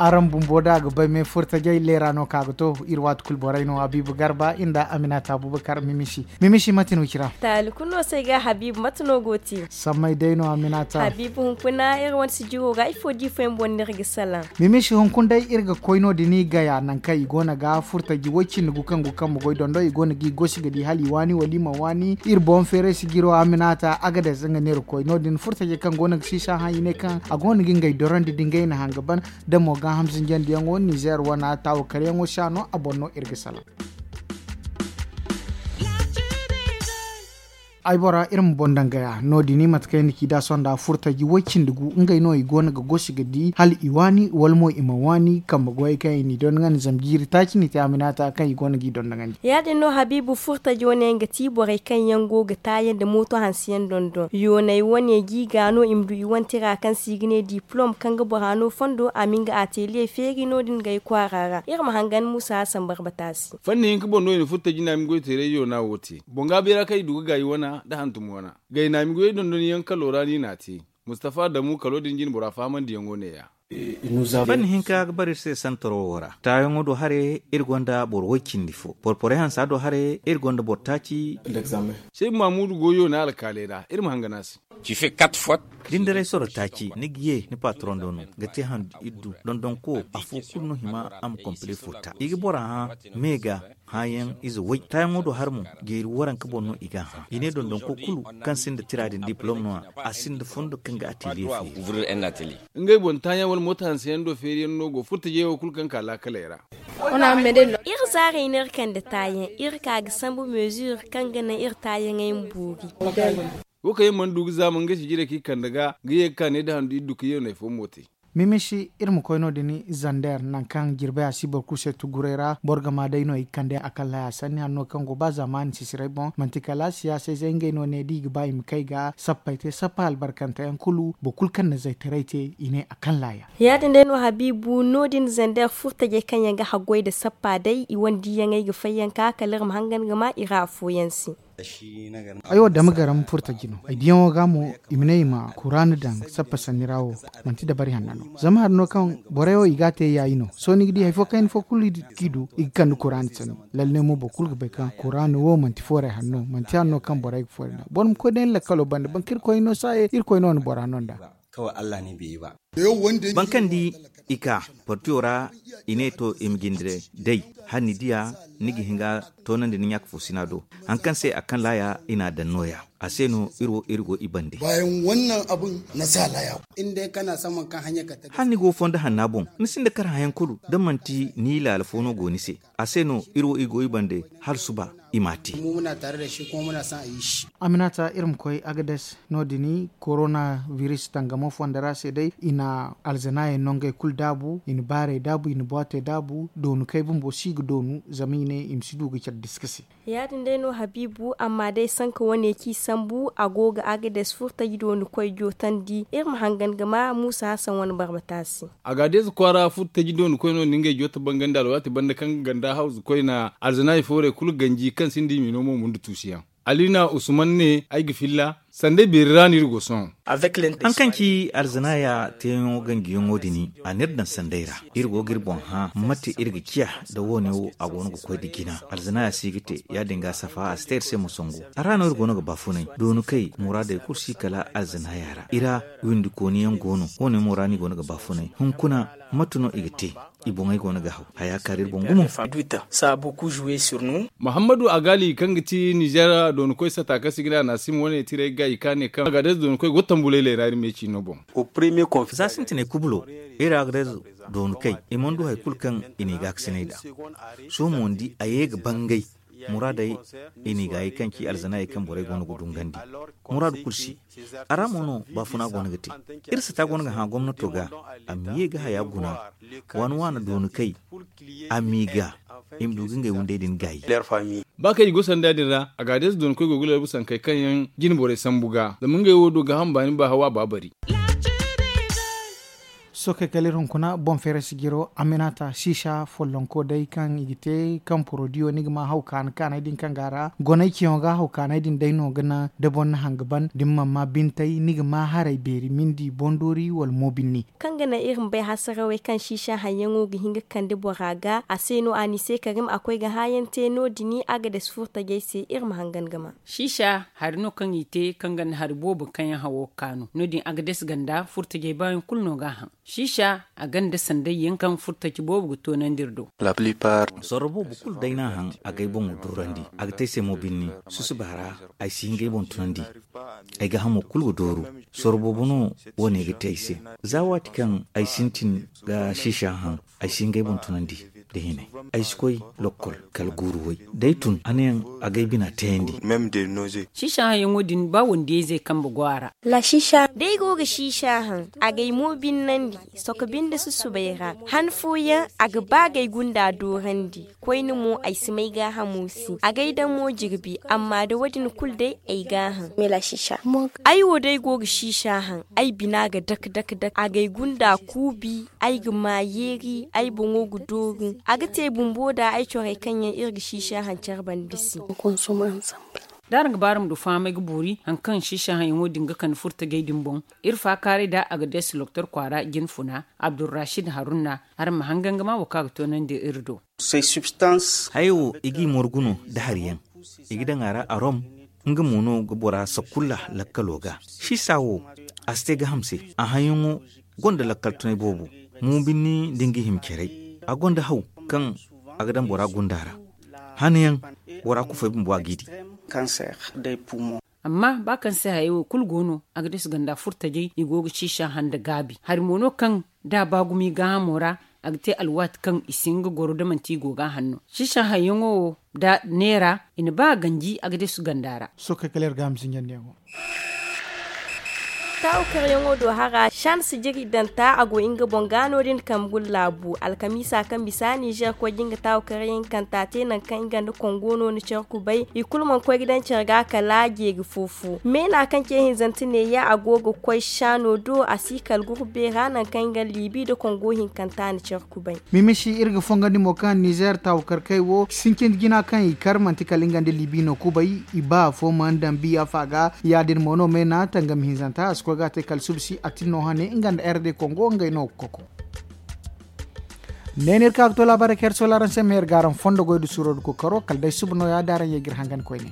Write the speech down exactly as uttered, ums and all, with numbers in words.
Araŋ bumbo da a ga bay me furtajey leera no ka ga to. Iri waati kulu borey no, habiibu garba nda aminata abubakar mimisi. Mimisi mate no cira? Taali kulu no se ga habiibu mate no go te? Sammay day no aminata. Habiibu hunkuna iri wane sijiro ga ifo di fo yaŋ boŋ no iri ga salaŋ? Mimisi hunkuna day iri ga koy no- din i gaya nangu kaŋ i go no ga furtaji way cindi gu kaŋ gu kambe goy dondo i go no ga i gosi ga di hala i waani wala i ma waani. Iri boŋ feeray sijiro aminata agades nga no iri koy no- din furtajey kaŋ go no ga siisa hã i ne kaŋ a go no ga ngey dorandi da ngey na hanga ban. Da mo gaaham zinjandiyaŋo nizeer wana taawo karyaŋo si a no a boŋ no iri ga salaŋ. Ay bora iri ma boŋ daŋ gaya no- din i mate kaŋ i na ci da sonda furtaji way cindi gu ngey no i go no ga gosi ga di hala i waani wala mo i ma waani kambe goyey kaŋ i n'i dondoŋandi zama jiiri taaci no i te aminata kaŋ i go no g'i dondoŋandi. Ya- din no habiibu furtaji wane yaŋ ga ti borey kaŋ yaŋ go ga taayaŋ nda mooto hanse yaŋ dondon yooney wane g'i ga no i ma du i wane tira kaŋ se i ga ne diplom kaŋ ga bora no fondo a ma nga ateliye feeri no- din gay kwaara ra iri ma hangan muusa hasan barbata se. Fanni hinka boŋ no i na furtaji naami goy teeray yoona wo te boŋ ga beera kaŋ i du ga gaayi wana nda hantum wana gay naami goyey dondonyaŋ kalo ra no i n'a te. Mustafa damu kalo din jine bora fahamandiyaŋo neeya. Fanni hinka ga bara iri se santaro wo ra taayaŋo do haray iri gonda boro way cindi fo boro porey hansa do haray iri gonda boro taaci. Saybu mamudu go yoona alkaaley ra iri ma hangan a se. Dindaray soro taaci ni ga ye ni patroŋ do no ga te handu iddu dondonko afo kulu no hima a ma kompile furta i ga bora hã me ga. Hãyaŋ ize way taayaŋo do har mo jeeri waranka boŋ no i g'a hã i ne dondonko kulu kaŋ sinda tira din diplom no-ya a sinda fondo kaŋ ga ateliye feeri. Ngey boŋ taayaŋ wala mooto hanseyaŋ do feeriyaŋ no go furtajey wo kulu kaŋ ka laakaley ra. Iri zaarey no iri kande taayaŋ iri ka ga sambu meezir kaŋ ga naŋ iri taayaŋey ma boori. Wo kaŋ yaŋ mana du ga zaama ngey si jirey kaŋ i kande ga ga ye ga ka ne da handu iddu kaŋ yaŋ no ay fo mo te. Mimisi iri ma koy no- din zander nangu kaŋ jirbey a si boro kulu se tuguray ra boro ga ma day no i ga kande a kallaya sanni hanno kaŋ go ba zaamaani sisiray boŋ manti kala siyaasayzey ngey no ne da i ga ba i ma kay ga sappey te sappa albarkanteyaŋ kulu boro kulu kaŋ na zaytaray te i ne a kallaya. Ya- din day no habiibu no- din zander furtajey kaŋ yaŋ ga haggoy nda sappa day i wane diiyaŋey ga fayyanka kala iri ma hangan ga ma i ra afooyaŋ se. Ay wo dama garam furtaji no ay diyaŋo ga mo i ma ne i ma kuraana daŋ sappa sanni ra wo. Manti dabari hanna no zama hari no kaŋ borey wo i ga a te yaayi no sohõ ni ga di hari fo kayna fo kulu kaŋ i du i ga kande kuraana sanni. Lalle mo boro kulu ga bay kaŋ kuraana wo manti fooray hanno manti hanno kaŋ borey ga fooray nd'a boro ma koy day ni lakkalo banda boro kaŋ irkoy no saaye irkoy no na bora no nd'a. Boro kaŋ di i ka portiyo ra i ne to i ma jinde day hala ni diya ni ga hin ga toonandi ni ɲaaka fo sina do. Hari kaŋ se a kaŋ laaya i n'a daŋ no- ya a se no iri wo iri go i bande. Hala ni go fondo hanna boŋ ni sinda kar hayaŋ kulu da manti ni laala fo no go ni se. A se no iri wo iri go i bande hala suba i m'a te. Aminata iri ma koy agades no- din korona biris tangamo fondo ra se day i na alzanaayey no ngey kulu daabu i na baarey daabu i na boitey daabu doonu kay bumbo si ga doonu zama i ne i ma si du ga care diska se. Ya- din day no habiibu amma day sanka wane kaŋ i sambu a go ga agades furtaji doonu koy jootandi iri ma hangan ga ma muusa hasan wane barbata se. Agades kwaara furtaji doonu koy no na ngey joota bangandi alwaati banda kaŋ ga ganda hawzu koyna alzanaayey fooray kulu ganji kaŋ sinda i mino mo mundu tuusiyaŋ. Alina usman ne ay ga filla sanda beeri ra no iri go sohõ. Hari kaŋ ci alzanaaya teeyaŋo ganjiyaŋo din a n'iri daŋ sanday ra. Iri go ga iri boŋ hã mate iri ga ciya nda wo- ne wo a go no ga koy nda jina alzanaaya si ga te ya- din ga safa a si te iri se mo sangu. A ra no iri go no ga baafunay doonu kay muraadey kulu si kala alzanaaya ra i ra windi kooni yaŋ go no wo- ne mo ra no i go no ga baafunay hunkuna mate no i ga te? I boŋey go no ga haw haya kaari iri boŋ gumo. Muhammadu agali kaŋ ga ti nizeer doonikoy sata kaŋ se i ga ne a na a sima wane tiray ga i ka ne kaŋ agadez doonikoy go tambuleeley ra iri me ciino boŋ. Za sintinay kubulo iri agadez doonikoy i mana du hari kulu kaŋ i n'i gaakasinay nd'a. Sohõ mo ni di a ye ga bangay muraadey i n'i gaayi kaŋ ci alzanaayey kaŋ borey go no ga dungandi muraadu kulu se. A ra mo no baafuna go no ga te. Iri sata go no ga hã gomnato ga a ma ye ga haya guna waana waana dooni kay a m'i ga i ma du ga ngey windey din gaayi. Ba kaŋ i go sanda din ra a ga a deesa dooni koy go ga lalbu sankey kaŋ yaŋ jine borey sambu ga zama ngey wo do ga hamba ni ba hawa ba bari. Sohõ kay kala iri hunkuna boŋ feeray sijiro, aminata siisa follonko day kaŋ i ga te kaŋ porodiyo ni ga ma haw kaanay din kaŋ ga a ra gonay ceeyaŋo ga haw kaanay din day no ga naŋ da boro na haŋ ga ban da ni mana ma bintay ni ga ma haray beeri mindi boŋ doori wala mo binni. Kaŋ ga naŋ iri ma bay hasarawey kaŋ siisa haŋyaŋo ga hin ga kande bora ga a se no a ni se karim a koy ga hãayaŋ te no- din a ga dasi furtajey se iri ma hangan ga ma. Siisa hari no kaŋ i te kaŋ ganda hari boobo kaŋ yaŋ hawo ga kaanu no- din a ga dasi ganda furtajey baayaŋ kulu no ga a haŋ. Siisa a ganda sanday yaŋ kaŋ furtaci boobo ga toonandi iri do. Sorro boobo kulu day no a haŋ a ga ay boŋo doorandi. A ga te ay se mo binni. Susuba ra ay si hin ga ay boŋ tunandi. Ay ga hamo kulu ga dooru. Sorro boobo no wo- ne ga te ay se. Za waati kaŋ ay sintin ga siisa haŋ ay si hin ga ay boŋ tunandi. Da hinay ay si koy lokkol kala guuru way. Day tun a ne yaŋ a ga ay bina tayandi. Siisa haŋyaŋo din ba wandiyayzey kambe go a ra. Da ay go ga siisa haŋ a ga ay mo binnandi. Soko binde susubay ra han fooyaŋ a ga ba ga ay gunda doorandi. Koyne mo ay si may gaahamo se a ga ay daŋ mo jirbi amma da wo- din kulu day ay gaaham. Ay wo da ay go ga siisa haŋ ay bina ga dak dak dak a ga ay gunda kuubi. Ay ga ma yeeri ay boŋo ga dooru a ga te bumbo da ay corey kaŋ yaŋ iri ga siisa haŋ care banda se. Da araŋ ga ba araŋ ma du fahamay ga boori hari kaŋ siisa haŋyaŋo din ga kande furtajey din boŋ. Iri faakaaray da a ga deesi loktor kwaara jinfuna abdurrashid haruna. Araŋ ma hangan ga ma wo kaŋ a ga toonandi iri do. Hayey wo i g'i morgu no nda hari yaŋ. I ga daŋ a ra arom. Nga mo no ga bora sakulla lakkalo ga. Siisa wo a si te gaaham se. A haŋyaŋo gonda lakkal tunay boobo. Mo binni da nga hima caray a gonda haw kaŋ a ga daŋ bora gunda ra. Hanayaŋ bora kufay bumbo a g'i di. Amma ba kaŋ se hayey wo kulu go no a ga deesi ganda furtajey i go ga siisa haŋ nda gaabi hari mo no kaŋ da a ba gumo i gaahamo ra. A ga te alwaati kaŋ i si hin ga goro da manti i go ga a haŋ no. Siisa haŋyaŋo wo da neera i na ba a ganji a ga deesi ganda ra. Sohõ kay kala iri ga a ma sinjandiyaŋo. Taawu karyaŋo do hara shan sijiri danta a go nga boŋ ga no- din kambe guna laabu alkamiisa kaŋ bisa nizer koy ga nga taawu karyaŋ kanta te nangu kaŋ nga nda kongo no na care kubay i kulu mana koy ga daŋ care ga kala jeeri fo fo meena kaŋ ce hinzante neeya a go ga koy shaano do a si kala gurbe ra nangu kaŋ nga liibi nda kongo hinkanta na care kubay. Mimisi iri ga fongandi mo kaŋ nizer taawu karkey wo sintin jina kaŋ i kar manti kala nga nda liibi no kubay. I ba afo mana daŋ biya fa ga ya- din mo no meena tangam hinzanta a si koy ga a te kala subsi a tin no hane nga nda r d kongo ngey no ga koko. Ne no iri ka ga to laabaarey kaŋ iri sola araŋ se ma iri ga araŋ fondo goy nda suuro nda kookaro kala day suba no- ya da araŋ ye ga iri hangan koyne.